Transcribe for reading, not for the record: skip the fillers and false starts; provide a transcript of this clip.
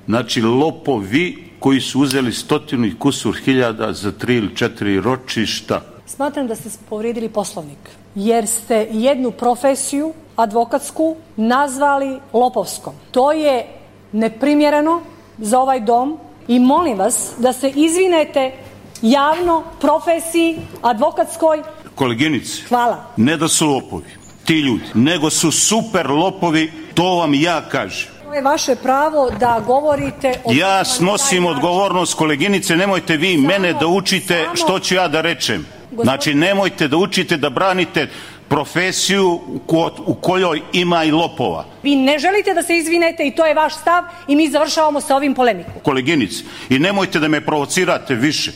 Znači, lopovi koji su uzeli 100 i kusur hiljada za 3 ili 4 ročišta. Smatram da ste povrijedili Poslovnik, jer ste jednu profesiju advokatsku nazvali lopovskom. To je neprimjereno za ovaj dom i molim vas da se izvinete javno profesiji advokatskoj. Koleginice, hvala. Ne da su lopovi ti ljudi, nego su super lopovi, to vam ja kažem. To je vaše pravo da govorite o... Ja snosim odgovornost, koleginice, nemojte vi mene da učite što ću ja da rečem. Znači, nemojte da učite da branite profesiju u kojoj ima i lopova. Vi ne želite da se izvinete i to je vaš stav i mi završavamo sa ovim polemikom. Koleginice, i nemojte da me provocirate više.